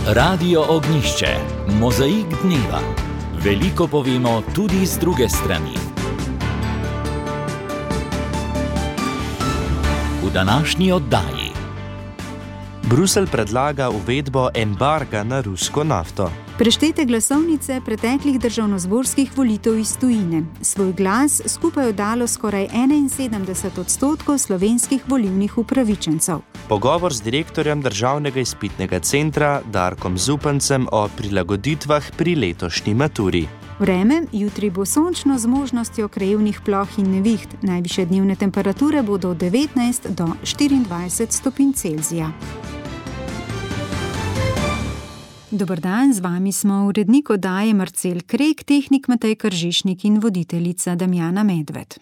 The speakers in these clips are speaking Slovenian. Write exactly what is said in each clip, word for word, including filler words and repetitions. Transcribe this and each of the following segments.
Radio Ognišče, mozaik dneva. Veliko povemo tudi z druge strani. V današnji oddaji. Bruselj predlaga uvedbo embarga na rusko nafto. Preštete glasovnice preteklih državnozborskih volitev iz tujine. Svoj glas skupaj oddalo skoraj enainsedemdeset odstotkov slovenskih volilnih upravičencev. Pogovor z direktorjem Državnega izpitnega centra Darkom Zupancem o prilagoditvah pri letošnji maturi. Vreme, jutri bo sončno z možnostjo krajevnih ploh in neviht. Najvišje dnevne temperature bodo od devetnajst do štiriindvajset stopinj Celzija. Dober dan, z vami smo urednik oddaje Marcel Krek, tehnik Matej Kržišnik in voditeljica Damjana Medved.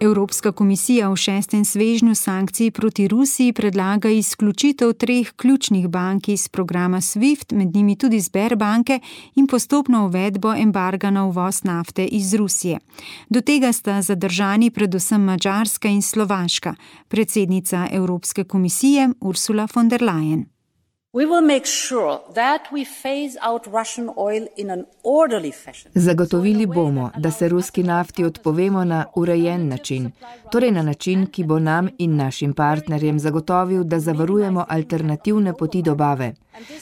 Evropska komisija v šestem svežnju sankcij proti Rusiji predlaga izključitev treh ključnih bank iz programa SWIFT, med njimi tudi Sberbanke, in postopno uvedbo embarga na uvoz nafte iz Rusije. Do tega sta zadržani predvsem Madžarska in Slovaška. Predsednica Evropske komisije Ursula von der Leyen. Zagotovili bomo, da se ruski nafti odpovemo na urejen način, torej na način, ki bo nam in našim partnerjem zagotovil, da zavarujemo alternativne poti dobave.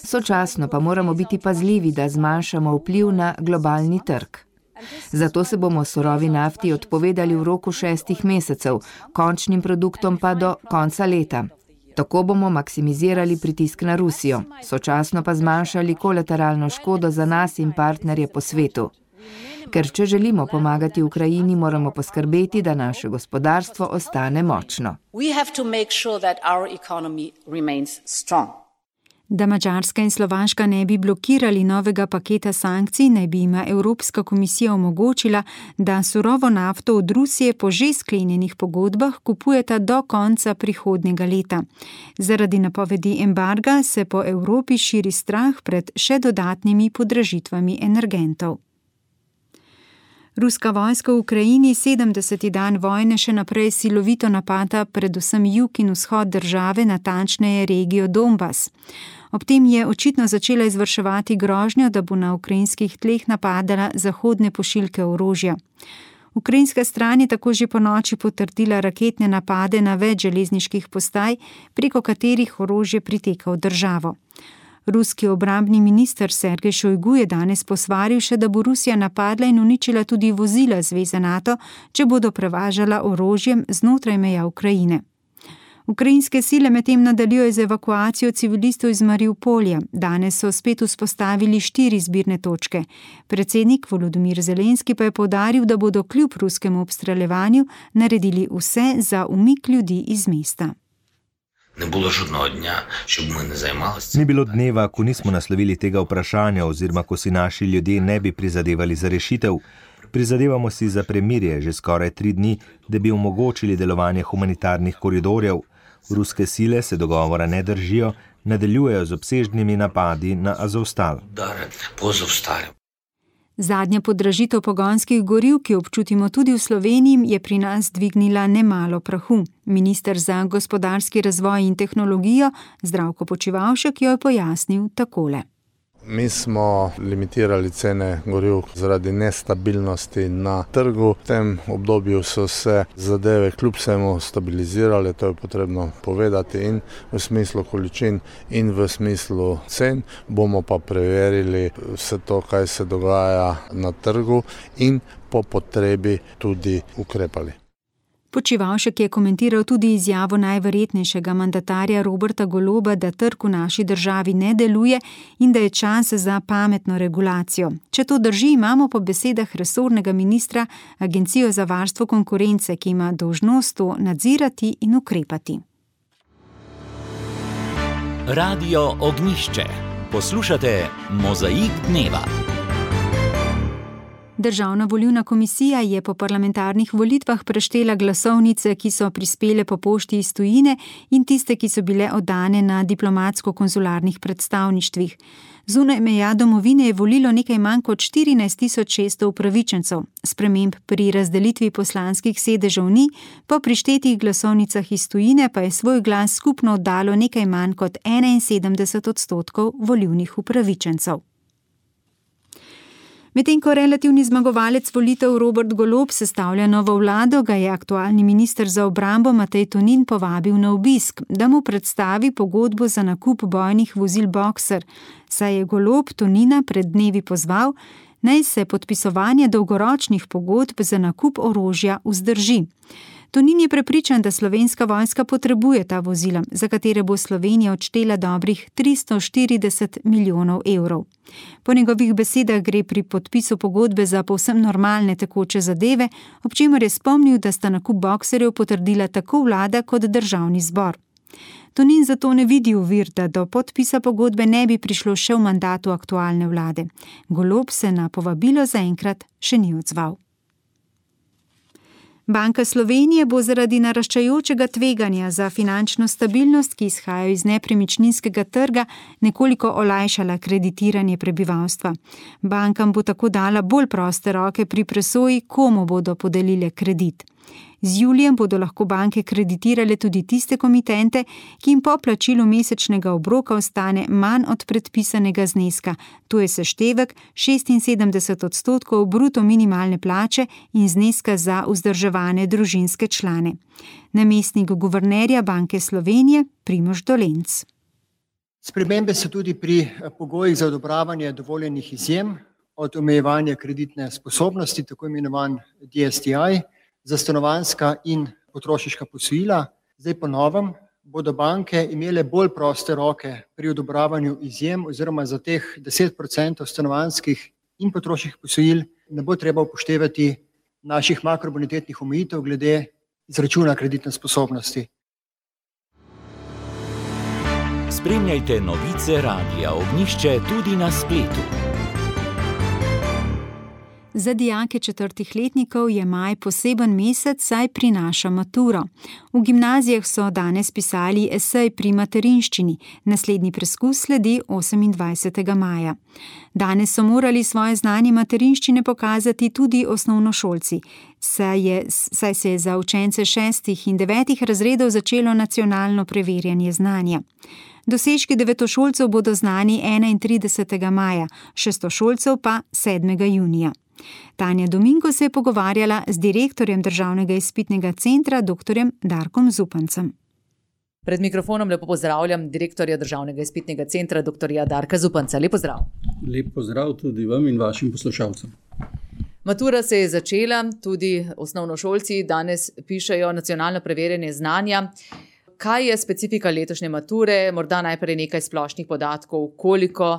Sočasno pa moramo biti pazljivi, da zmanjšamo vpliv na globalni trg. Zato se bomo surovi nafti odpovedali v roku šestih mesecev, končnim produktom pa do konca leta. Tako bomo maksimizirali pritisk na Rusijo, sočasno pa zmanjšali kolateralno škodo za nas in partnerje po svetu. Ker če želimo pomagati Ukrajini, moramo poskrbeti, da naše gospodarstvo ostane močno. Da Madžarska in Slovaška ne bi blokirali novega paketa sankcij, naj bi jima Evropska komisija omogočila, da surovo nafto od Rusije po že sklenjenih pogodbah kupujeta do konca prihodnjega leta. Zaradi napovedi embarga se po Evropi širi strah pred še dodatnimi podražitvami energentov. Ruska vojska v Ukrajini sedemdeseti dan vojne še naprej silovito napada predvsem jug in vzhod države, natančneje regijo Donbas. Ob tem je očitno začela izvrševati grožnjo, da bo na ukrajinskih tleh napadala zahodne pošiljke orožja. Ukrajinska stran je tako že ponoči potrdila raketne napade na več železniških postaj, preko katerih orožje priteka v državo. Ruski obrambni minister Sergej Šojgu je danes posvaril še, da bo Rusija napadla in uničila tudi vozila zveze NATO, če bodo prevažala orožjem znotraj meja Ukrajine. Ukrajinske sile medtem nadaljujejo z evakuacijo civilistov iz Mariupolja. Danes so spet vzpostavili štiri zbirne točke. Predsednik Volodymyr Zelenski pa je poudaril, da bodo kljub ruskemu obstreljevanju naredili vse za umik ljudi iz mesta. Ne bilo žodного dня, щоб ми не займалися. Ni bilo dneva, ko nismo naslovili tega vprašanja oziroma ko si naši ljudje ne bi prizadevali za rešitev. Prizadevamo si za premirje že skoraj tri dni, da bi omogočili delovanje humanitarnih koridorjev. Ruske sile se dogovora ne držijo, nadaljujejo z obsežnimi napadi na Azovstal. Zadnja podražitev pogonskih goriv, ki občutimo tudi v Sloveniji, je pri nas dvignila nemalo prahu. Minister za gospodarski razvoj in tehnologijo Zdravko Počivalšek jo je pojasnil takole. Mi smo limitirali cene goriv zaradi nestabilnosti na trgu. V tem obdobju so se zadeve kljub vsemu stabilizirale, to je potrebno povedati, in v smislu količin in v smislu cen. Bomo pa preverili vse to, kaj se dogaja na trgu, in po potrebi tudi ukrepali. Počivalšek je komentiral tudi izjavo najverjetnejšega mandatarja Roberta Goloba, da trg v naši državi ne deluje in da je čas za pametno regulacijo. Če to drži, imamo po besedah resornega ministra Agencijo za varstvo konkurence, ki ima dolžnost to nadzirati in ukrepati. Radio Ognišče. Poslušate Mozaik dneva. Državna volilna komisija je po parlamentarnih volitvah preštela glasovnice, ki so prispele po pošti iz tujine in tiste, ki so bile oddane na diplomatsko-konzularnih predstavništvih. Zunaj meja domovine je volilo nekaj manj kot štirinajst tisoč šeststo upravičencev. Sprememb pri razdelitvi poslanskih sedežev ni, po prištetih glasovnicah iz tujine pa je svoj glas skupno oddalo nekaj manj kot enainsedemdeset odstotkov volilnih upravičencev. Medtem ko relativni zmagovalec volitev Robert Golob sestavlja novo vlado, ga je aktualni minister za obrambo Matej Tonin povabil na obisk, da mu predstavi pogodbo za nakup bojnih vozil Boxer, saj je Golob Tonina pred dnevi pozval, naj se podpisovanje dolgoročnih pogodb za nakup orožja vzdrži. Tonin je prepričan, da slovenska vojska potrebuje ta vozila, za katere bo Slovenija odštela dobrih tristo štirideset milijonov evrov. Po njegovih besedah gre pri podpisu pogodbe za povsem normalne tekoče zadeve, ob čemer je spomnil, da sta nakup boxerjev potrdila tako vlada kot državni zbor. Tonin zato ne vidi ovir, da do podpisa pogodbe ne bi prišlo še v mandatu aktualne vlade. Golob se na povabilo zaenkrat še ni odzval. Banka Slovenije bo zaradi naraščajočega tveganja za finančno stabilnost, ki izhajajo iz nepremičninskega trga, nekoliko olajšala kreditiranje prebivalstva. Bankam bo tako dala bolj proste roke pri presoji, komu bodo podelile kredit. Z julijem bodo lahko banke kreditirale tudi tiste komitente, ki jim po plačilu mesečnega obroka ostane manj od predpisanega zneska, to je seštevek šestinsedemdeset odstotkov bruto minimalne plače in zneska za vzdrževane družinske člane. Namestnik guvernerja Banke Slovenije Primož Dolenc. Spremembe so tudi pri pogojih za odobravanje dovoljenih izjem od omejevanja kreditne sposobnosti, tako imenovan D S T I, za stanovanjska in potrošniška posojila. Zdaj po novem bodo banke imele bolj proste roke pri odobravanju izjem oziroma za teh deset procentov stanovanjskih in potrošniških posojil ne bo treba upoštevati naših makrobonitetnih omejitev glede izračuna kreditne sposobnosti. Spremljajte novice Radia Ognjišče tudi na spletu. Za dijake četrtih letnikov je maj poseben mesec, saj prinaša maturo. V gimnazijah so danes pisali esej pri materinščini, naslednji preskus sledi osemindvajsetega maja. Danes so morali svoje znanje materinščine pokazati tudi osnovnošolci, saj, je, saj se je za učence šestih in devetih razredov začelo nacionalno preverjanje znanja. Dosežki devetošolcev bodo znani enaintridesetega maja, šestošolcev pa sedmega junija. Tanja Domingo se je pogovarjala z direktorjem Državnega izpitnega centra, doktorjem Darkom Zupancem. Pred mikrofonom lepo pozdravljam direktorja Državnega izpitnega centra, doktorja Darka Zupanca. Lep pozdrav. Lep pozdrav tudi vam in vašim poslušalcem. Matura se je začela, tudi osnovnošolci danes pišejo nacionalno preverjanje znanja. Kaj je specifika letošnje mature? Morda najprej nekaj splošnih podatkov, koliko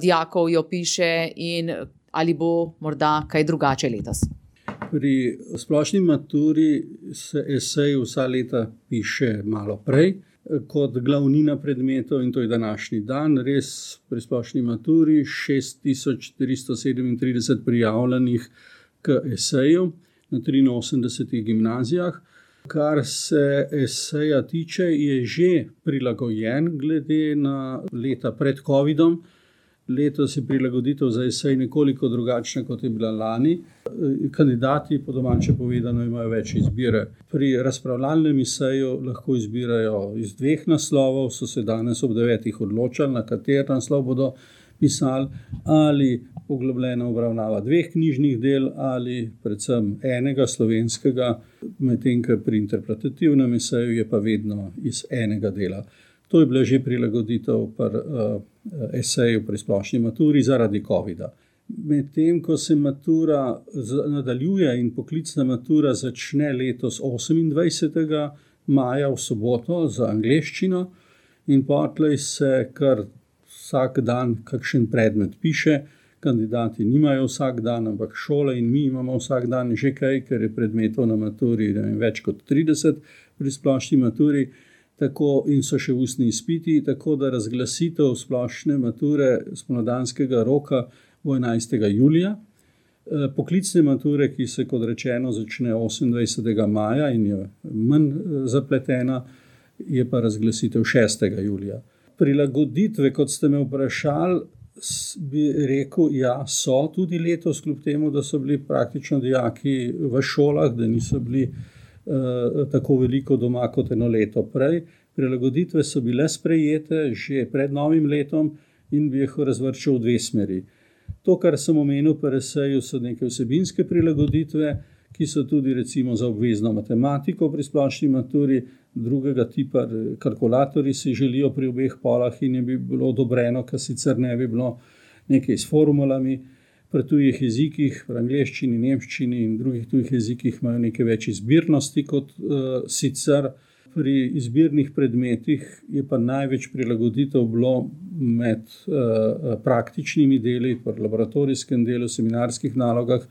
dijakov jo piše in ali bo morda kaj drugače letos? Pri splošni maturi se esej vsa leta piše malo prej kot glavnina predmetov in to je današnji dan. Res pri splošni maturi šest tisoč tristo sedemintrideset prijavljenih k eseju na triinosemdesetih gimnazijah. Kar se eseja tiče, je že prilagojen glede na leta pred covidom. Letos je prilagoditev za esej nekoliko drugačna, kot je bila lani. Kandidati, po domače povedano, imajo več izbire. Pri razpravljalnem eseju lahko izbirajo iz dveh naslovov, so se danes ob devetih odločali, na kater naslov bodo pisali, ali poglobljena obravnava dveh knjižnih del ali predvsem enega slovenskega, medtem ko pri interpretativnem eseju je pa vedno iz enega dela. To je bila že prilagoditev pri uh, eseju pri splošni maturi zaradi covida. Medtem ko se matura nadaljuje in poklicna matura začne letos osemindvajsetega maja v soboto za angleščino in potlej se kar vsak dan kakšen predmet piše. Kandidati nimajo vsak dan, ampak šole in mi imamo vsak dan že kaj, ker je predmetov na maturi več kot trideset pri splošni maturi. Tako in so še ustni izpiti, tako da razglasitev splošne mature spomladanskega roka bo enajstega julija. Poklicne mature, ki se, kot rečeno, začne osemindvajsetega maja in je manj zapletena, je pa razglasitev šestega julija. Prilagoditve, kot ste me vprašali, bi rekel, ja, so tudi letos, kljub temu, da so bili praktično dijaki v šolah, da niso bili uh, tako veliko doma kot eno leto prej. Prilagoditve so bile sprejete že pred novim letom in bi jih razvrščal v dve smeri. To, kar sem omenil pri eseju, so neke vsebinske prilagoditve, ki so tudi recimo za obvezno matematiko pri splošni maturi, drugega tipa kalkulatorji si želijo pri obeh polah in je bi bilo odobreno, kar sicer ne bi bilo nekaj s formulami. Pri tujih jezikih, pri angleščini, nemščini in drugih tujih jezikih imajo nekaj več izbirnosti kot uh, sicer. Pri izbirnih predmetih je pa največ prilagoditev bilo med uh, praktičnimi deli, pri laboratorijskem delu, seminarskih nalogah,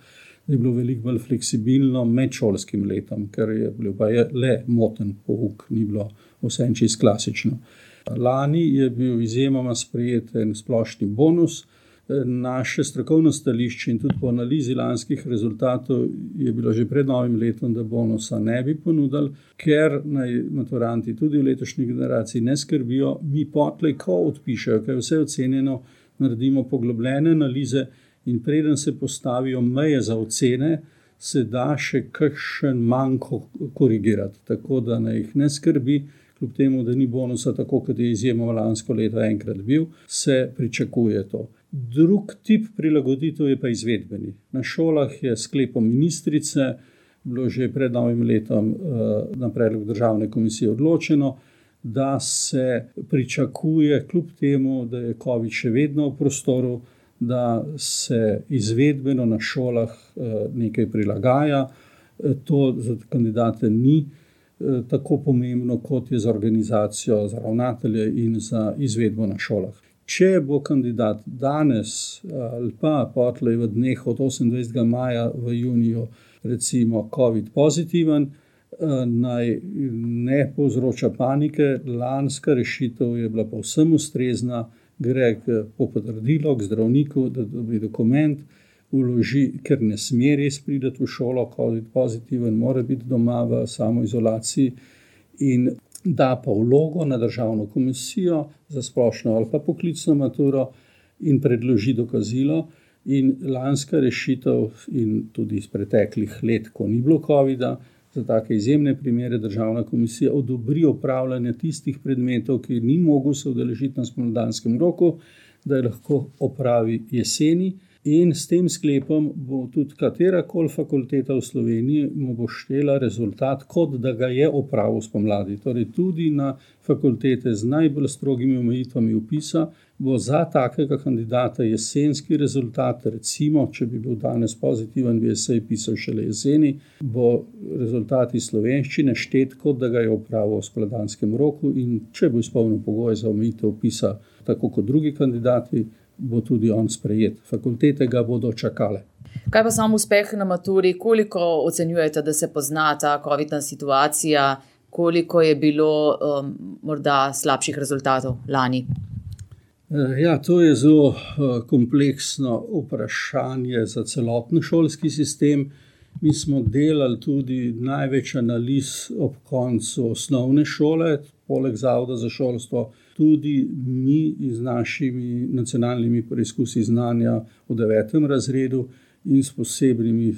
da je bilo veliko bolj fleksibilno med šolskim letom, ker je bil pa je le moten pouk, ni bilo vse čisto klasično. Lani je bil izjemoma sprejet en splošni bonus. Naše strokovno stališče in tudi po analizi lanskih rezultatov je bilo že pred novim letom, da bonusa ne bi ponudili, ker naj maturanti tudi v letošnji generaciji ne skrbijo. Mi potlej, ko odpišejo, ker je vse ocenjeno, naredimo poglobljene analize in preden se postavijo meje za ocene, se da še kakšen manko korigirati, tako da naj jih ne skrbi. Kljub temu, da ni bonusa tako, kot je izjemno lansko leto enkrat bil, se pričakuje to. Drug tip prilagoditev je pa izvedbeni. Na šolah je sklepom ministrice bilo že pred novim letom na predlog državne komisije odločeno, da se pričakuje, kljub temu, da je COVID še vedno v prostoru, da se izvedbeno na šolah nekaj prilagaja. To za kandidate ni tako pomembno, kot je za organizacijo, za ravnatelje in za izvedbo na šolah. Če bo kandidat danes ali pa potlej v dneh od osemindvajsetega maja v juniju recimo COVID pozitiven, naj ne povzroča panike. Lanska rešitev je bila povsem ustrezna, gre po potrdilo k zdravniku, da dobi dokument, vloži, ker ne sme res priti v šolo, COVID pozitiven, mora biti doma v samoizolaciji in da pa vlogo na državno komisijo za splošno ali pa poklicno maturo in predloži dokazilo. In lanska rešitev in tudi iz preteklih let, ko ni bilo covida, za take izjemne primere državna komisija odobri opravljanje tistih predmetov, ki ni mogel se udeležiti na spomladanskem roku, da je lahko opravi jeseni. In s tem sklepom bo tudi katerakoli fakulteta v Sloveniji mu bo štela rezultat, kot da ga je opravil spomladi. Torej tudi na fakultete z najbolj strogimi omejitvami vpisa bo za takega kandidata jesenski rezultat, recimo, če bi bil danes pozitiven, bi esej pisal šele jeseni, bo rezultat iz slovenščine štet, kot da ga je opravil v spomladanskem roku in če bo izpolnil pogoje za omejitev vpisa, tako kot drugi kandidati, bo tudi on sprejet. Fakultete ga bodo čakale. Kaj pa sam uspeh na maturi? Koliko ocenjujete, da se pozna ta covidna situacija? Koliko je bilo um, morda slabših rezultatov lani? Ja, to je zelo kompleksno vprašanje za celoten šolski sistem. Mi smo delali tudi največ analiz ob koncu osnovne šole, poleg Zavoda za šolstvo, tudi mi z našimi nacionalnimi preizkusi znanja v devetem razredu in s posebnimi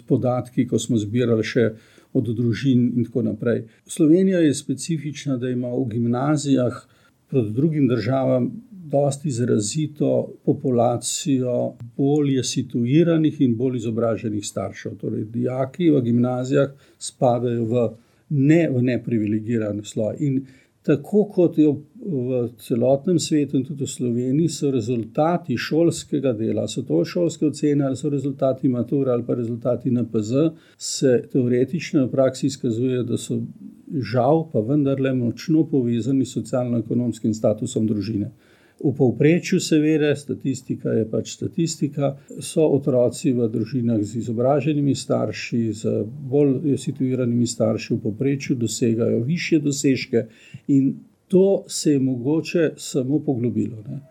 podatki, ko smo zbirali še od družin in tako naprej. Slovenija je specifična, da ima v gimnazijah proti drugim državam dosti izrazito populacijo bolje situiranih in bolj izobraženih staršev. Torej, dijaki v gimnazijah spadajo v ne v neprivilegiran sloj. In tako kot je v celotnem svetu in tudi v Sloveniji, so rezultati šolskega dela, so to šolske ocene ali so rezultati mature ali pa rezultati N P Z, se teoretično v praksi izkazuje, da so žal pa vendarle močno povezani s socialno-ekonomskim statusom družine. V povprečju seveda, statistika je pač statistika, so otroci v družinah z izobraženimi starši, z bolj situiranimi starši v povprečju dosegajo višje dosežke in to se je mogoče samo poglobilo. Ne?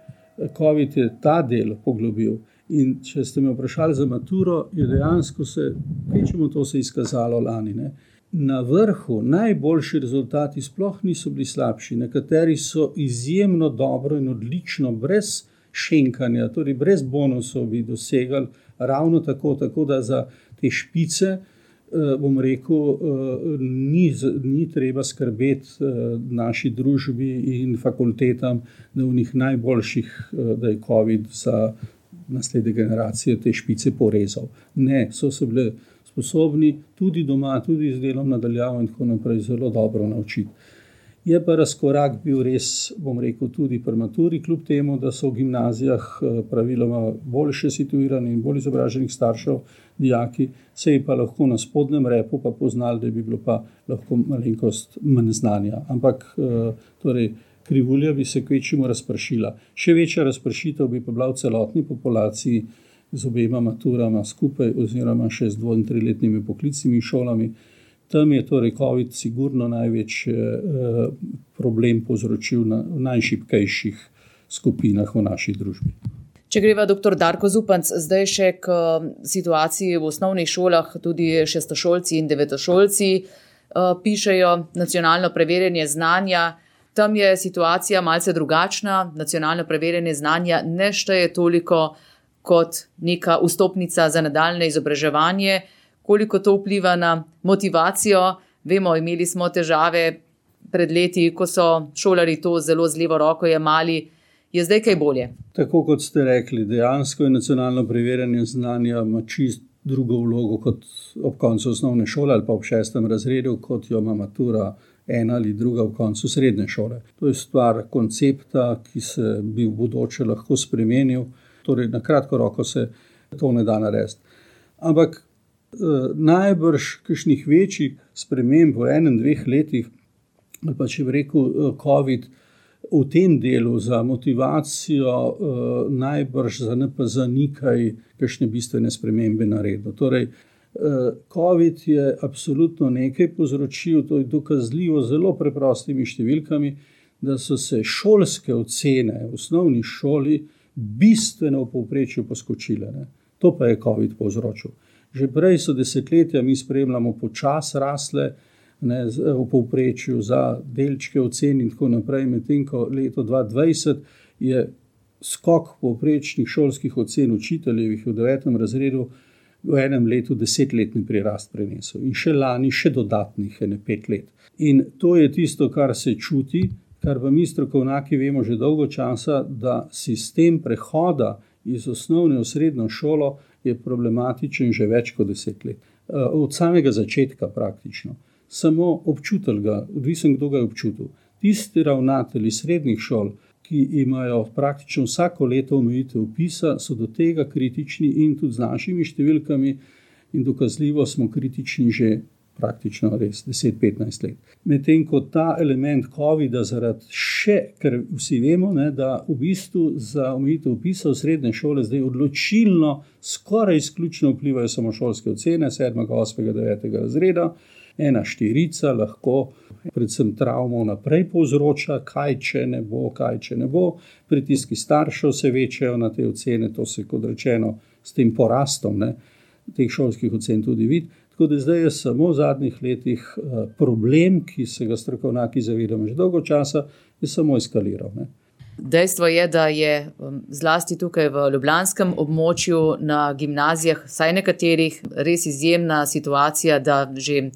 COVID je ta del poglobil In če ste me vprašali za maturo, je dejansko se, kvečemo to se izkazalo lani, ne. Na vrhu najboljši rezultati sploh niso bili slabši, nekateri so izjemno dobro in odlično, brez šenkanja, torej brez bonusov bi dosegali ravno tako, tako da za te špice, bom rekel, ni, ni treba skrbeti naši družbi in fakultetam, da v njih najboljših, da je COVID za naslednje generacije te špice porezal. Ne, so se bile sposobni tudi doma, tudi z delom nadaljavo in tako naprej zelo dobro naučiti. Je pa razkorak bil res, bom rekel, tudi pri maturi, kljub temu, da so v gimnazijah praviloma boljše situirani in bolj izobraženih staršev dijaki, se je pa lahko na spodnjem repu pa poznali, da bi bilo pa lahko malenkost manj znanja. Ampak torej, krivulja bi se kvečemu razpršila. Še večja razpršitev bi pa bila v celotni populaciji z obema maturama skupaj oziroma še z dvo- in triletnimi poklicnimi šolami. Tam je torej COVID sigurno največji eh, problem povzročil na najšibkejših skupinah v naši družbi. Če greva doktor Darko Zupanc, zdaj še k situaciji v osnovnih šolah, tudi šestošolci in devetošolci eh, pišejo nacionalno preverjanje znanja. Tam je situacija malce drugačna, nacionalno preverjanje znanja ne šteje toliko kot neka vstopnica za nadaljne izobraževanje. Koliko to vpliva na motivacijo? Vemo, imeli smo težave pred leti, ko so šolari to zelo z levo roko jemali. Je zdaj kaj bolje? Tako kot ste rekli, dejansko je nacionalno preverjanje znanja ima čist drugo vlogo kot ob koncu osnovne šole ali pa ob šestem razredu, kot jo ima matura ena ali druga v koncu srednje šole. To je stvar koncepta, ki se bi v bodoče lahko spremenil. Torej, na kratko roko se to ne da narediti. Ampak eh, najbrž kakšnih večjih sprememb v enem, dveh letih, ali pa če bi rekel COVID, v tem delu za motivacijo eh, najbrž za N P Z ni kaj kakšne bistvene spremembe naredil. Torej, eh, COVID je absolutno nekaj povzročil, to je dokazljivo zelo preprostimi številkami, da so se šolske ocene v osnovni šoli bistveno v povprečju poskočile. Ne. To pa je COVID povzročil. Že prej so desetletja, mi spremljamo počas rasle, ne, v povprečju za delčke ocen in tako naprej, medtem ko leto dva tisoč dvajset je skok povprečnih šolskih ocen učiteljevih v devetem razredu v enem letu desetletni prirast prenesel. In še lani še dodatnih ene pet let. In to je tisto, kar se čuti, kar pa mi strokovnjaki vemo že dolgo časa, da sistem prehoda iz osnovne v srednjo šolo je problematičen že več kot deset let. Od samega začetka praktično. Samo občutel ga, odvisen kdo ga je občutil. Tisti ravnatelji srednjih šol, ki imajo praktično vsako leto omejitev vpisa, so do tega kritični in tudi z našimi številkami in dokazljivo smo kritični že praktično res deset petnajst let. Medtem ko ta element COVID-a zaradi še, ker vsi vemo, ne, da v bistvu za omejitev vpisa v srednje šole zdaj odločilno, skoraj izključno vplivajo samo šolske ocene, sedmega, osmega, devetega razreda, ena štirica lahko predvsem travmo naprej povzroča, kaj če ne bo, kaj če ne bo, pritiski staršev se večajo na te ocene, to se kot rečeno s tem porastom, ne, teh šolskih ocen tudi vidi. Tako da zdaj je samo v zadnjih letih problem, ki se ga strokovnjaki zavedamo že dolgo časa, je samo eskaliral. Ne. Dejstvo je, da je zlasti tukaj v ljubljanskem območju na gimnazijah, vsaj nekaterih, res izjemna situacija, da že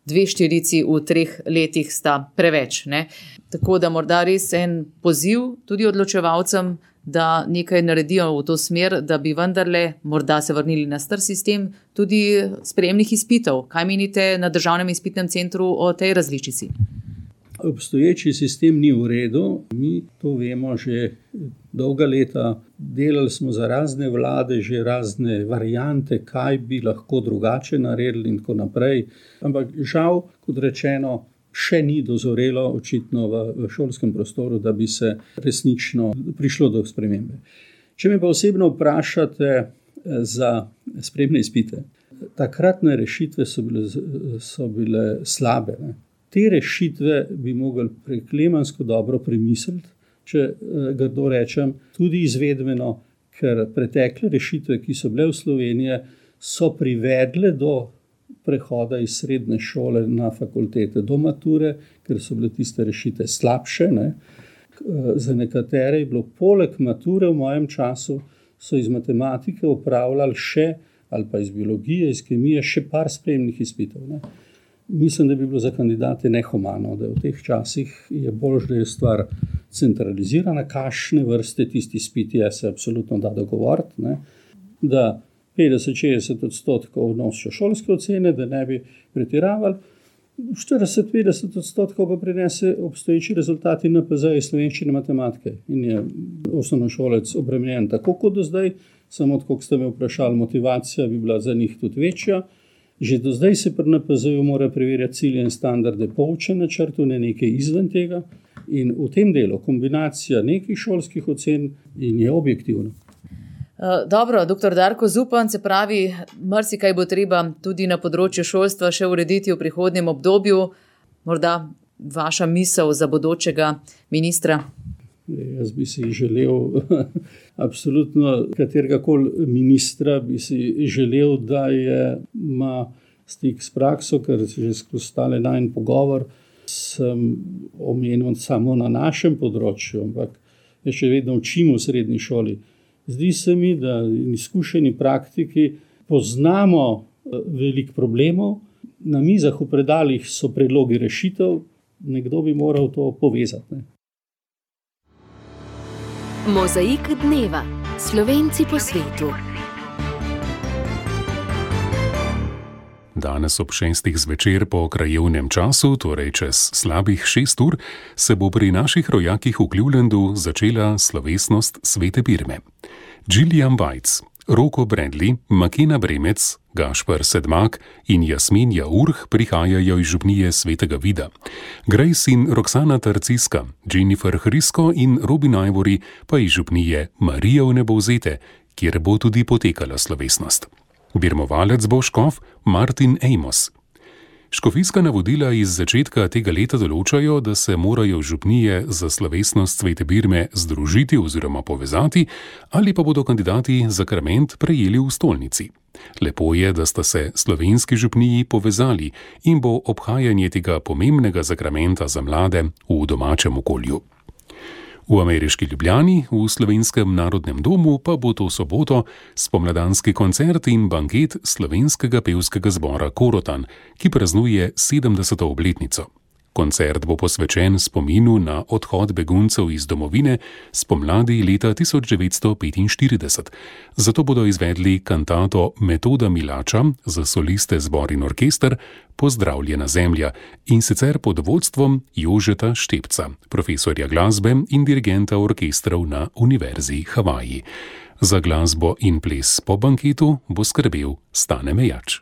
dve štirici v treh letih sta preveč. Ne. Tako da morda res en poziv tudi odločevalcem, da nekaj naredijo v to smer, da bi vendarle morda se vrnili na star sistem tudi sprejemnih izpitov. Kaj menite na Državnem izpitnem centru o tej različici? Obstoječi sistem ni v redu, mi to vemo že dolga leta. Delali smo za razne vlade, že razne variante, kaj bi lahko drugače naredili in tako naprej. Ampak žal, kot rečeno, še ni dozorelo očitno v, v šolskem prostoru, da bi se resnično prišlo do spremembe. Če me pa osebno vprašate za sprejemne izpite, takratne rešitve so bile, so bile slabe. Ne. Te rešitve bi mogli preklemansko dobro premisliti, če grdo rečem, tudi izvedbeno, ker pretekle rešitve, ki so bile v Sloveniji, so privedle do prehoda iz srednje šole na fakultete do mature, ker so bile tiste rešitve slabše. Ne. Za nekatere je bilo poleg mature v mojem času, so iz matematike opravljali še, ali pa iz biologije, iz kemije, še par sprejemnih izpitov. Ne. Mislim, da bi bilo za kandidate nehumano, da v teh časih je bolj, da je stvar centralizirana, kakšne vrste tisti izpiti je, se absolutno da dogovoriti, ne, da petdeset do šestdeset odstotkov nosijo šolske ocene, da ne bi pretiravali, štirideset do petdeset odstotkov pa prinese obstoječi rezultati N P Z iz slovenščine matematike in je osnovnošolec obremenjen tako kot do zdaj, samo tako, kot ste me vprašali, motivacija bi bila za njih tudi večja. Že do zdaj se pri N P Z-ju mora preverjati cilje in standarde po učnem načrtu, ne nekaj izven tega. In v tem delu kombinacija nekih šolskih ocen in je objektivno. Dobro, doktor Darko Zupan, se pravi, marsikaj bo treba tudi na področju šolstva še urediti v prihodnjem obdobju. Morda vaša misel za bodočega ministra? Jaz bi si želel, absolutno kateregakoli ministra bi si želel, da je, ima stik s prakso, ker že skozi stale najin pogovor sem omenil samo na našem področju, ampak jaz še vedno učim v srednji šoli. Zdi se mi, da izkušeni praktiki poznamo veliko problemov, na mizah v predalih so predlogi rešitev, nekdo bi moral to povezati. Ne? Mozaik dneva. Slovenci po svetu. Danes ob šestih zvečer po krajevnem času, torej čez slabih šest ur, se bo pri naših rojakih v Clevelandu začela slovesnost Svete Birme. Gillian Weitz, Roko Bradley, Makena Bremec, Gašper Sedmak in Jasmin Jaurh prihajajo iz župnije Svetega Vida. Grace in Roxana Tarciska, Jennifer Hrisko in Robin Ivory pa iz župnije Marija v Nebovzete, kjer bo tudi potekala slovesnost. Birmovalec bo škof Martin Amos. Škofijska navodila iz začetka tega leta določajo, da se morajo župnije za slovesnost Svete Birme združiti oziroma povezati, ali pa bodo kandidati zakrament prejeli v stolnici. Lepo je, da sta se slovenski župniji povezali in bo obhajanje tega pomembnega zakramenta za mlade v domačem okolju. V ameriški Ljubljani, v Slovenskem narodnem domu, pa bo to soboto spomladanski koncert in banket slovenskega pevskega zbora Korotan, ki praznuje sedemdeseto obletnico. Koncert bo posvečen spominu na odhod beguncev iz domovine spomladi leta tisoč devetsto petinštirideset. Zato bodo izvedli kantato Metoda Milača za soliste, zbor in orkester Pozdravljena zemlja in sicer pod vodstvom Jožeta Štepca, profesorja glasbe in dirigenta orkestrov na Univerzi Havaji. Za glasbo in ples po banketu bo skrbel Stane Mejač.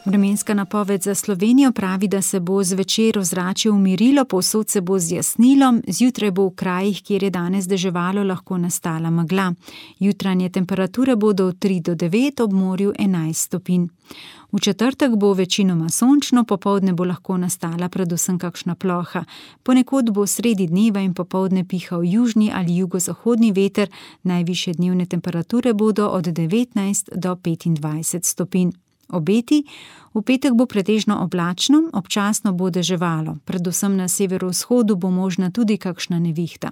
Vremenska napoved za Slovenijo pravi, da se bo zvečer ozračje umirilo, povsod se bo zjasnilo, zjutraj bo v krajih, kjer je danes deževalo, lahko nastala megla. Jutranje temperature bodo od tri do devet, ob morju enajst stopinj. V četrtek bo večinoma sončno, popoldne bo lahko nastala predvsem kakšna ploha. Ponekod bo sredi dneva in popoldne pihal južni ali jugozahodni veter, najvišje dnevne temperature bodo od devetnajst do petindvajset stopinj. Obeti, v petek bo pretežno oblačno, občasno bo deževalo, predvsem na severovzhodu bo možna tudi kakšna nevihta.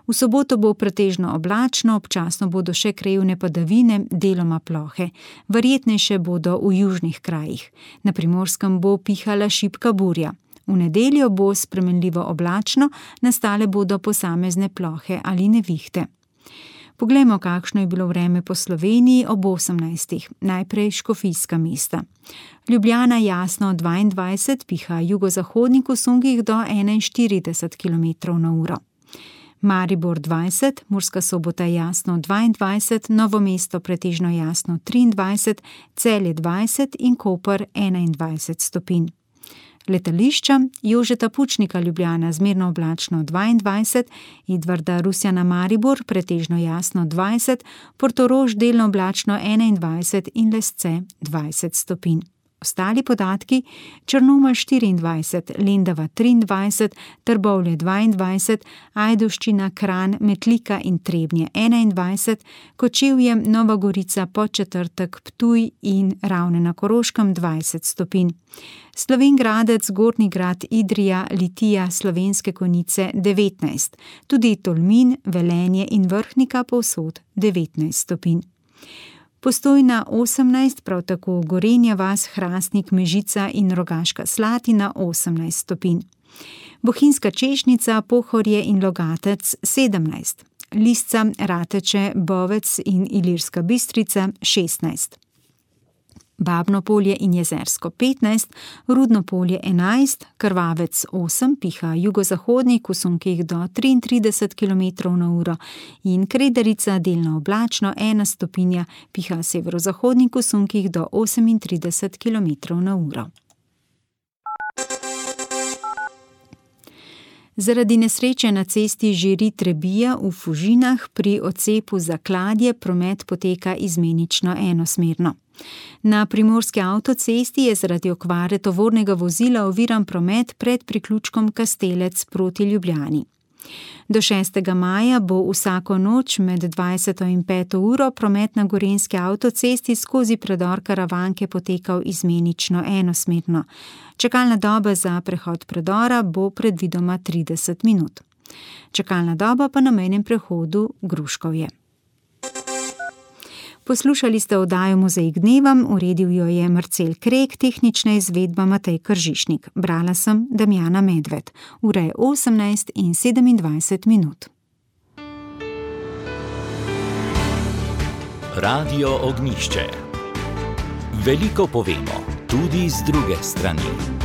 V soboto bo pretežno oblačno, občasno bodo še krajevne padavine, deloma plohe. Verjetnejše bodo v južnih krajih. Na Primorskem bo pihala šibka burja. V nedeljo bo spremenljivo oblačno, nastale bodo posamezne plohe ali nevihte. Poglejmo, kakšno je bilo vreme po Sloveniji ob osemnajstih. Najprej škofijska mesta. Ljubljana jasno dvaindvajset, piha jugozahodnik v sungih do enainštirideset kilometrov na uro. Maribor dvajset, Murska Sobota jasno dvaindvajset, Novo mesto pretežno jasno triindvajset, Celje dvajset in Koper enaindvajset stopinj. Letališča, Jožeta Pučnika Ljubljana zmerno oblačno dvaindvajset, Edvarda Rusjana Maribor pretežno jasno dvajset, Portorož delno oblačno enaindvajset in Lesce dvajset stopinj. Ostali podatki: Črnomelj štiriindvajset, Lendava triindvajset, Trbovlje dvaindvajset, Ajdovščina, Kranj, Metlika in Trebnje enaindvajset, Kočevje, Nova Gorica, Podčetrtek, Ptuj in Ravne na Koroškem dvajset stopinj. Slovenj Gradec, Gornji Grad, Idrija, Litija, Slovenske Konjice devetnajst, tudi Tolmin, Velenje in Vrhnika povsod devetnajst stopinj. Postojna osemnajst, prav tako Gorenja vas, Hrastnik, Mežica in Rogaška Slatina osemnajst stopinj. Bohinjska Češnjica, Pohorje in Logatec sedemnajst, Lisca, Rateče, Bovec in Ilirska Bistrica šestnajst. Babno Polje in Jezersko petnajst, Rudno Polje enajst, Krvavec osem, piha jugozahodnik v sunkih do triintrideset kilometrov na uro in Kredarica delno oblačno ena stopinja, piha severozahodnik v sunkih do osemintrideset kilometrov na uro. Zaradi nesreče na cesti Žiri-Trebija v Fužinah pri odcepu za Kladje promet poteka izmenično enosmerno. Na primorski avtocesti je zaradi okvare tovornega vozila oviran promet pred priključkom Kastelec proti Ljubljani. Do šestega maja bo vsako noč med dvajseto in peto uro promet na gorenjski avtocesti skozi predor Karavanke potekal izmenično enosmerno. Čakalna doba za prehod predora bo predvidoma trideset minut. Čakalna doba pa na mejnem prehodu Gruškovje. Poslušali ste oddajo Mozaik dneva, uredil jo je Marcel Krek, tehnična izvedba Matej Kržišnik. Brala sem Damjana Medved. Ura je osemnajst in sedemindvajset minut. Radio Ognjišče. Veliko povemo, tudi z druge strani.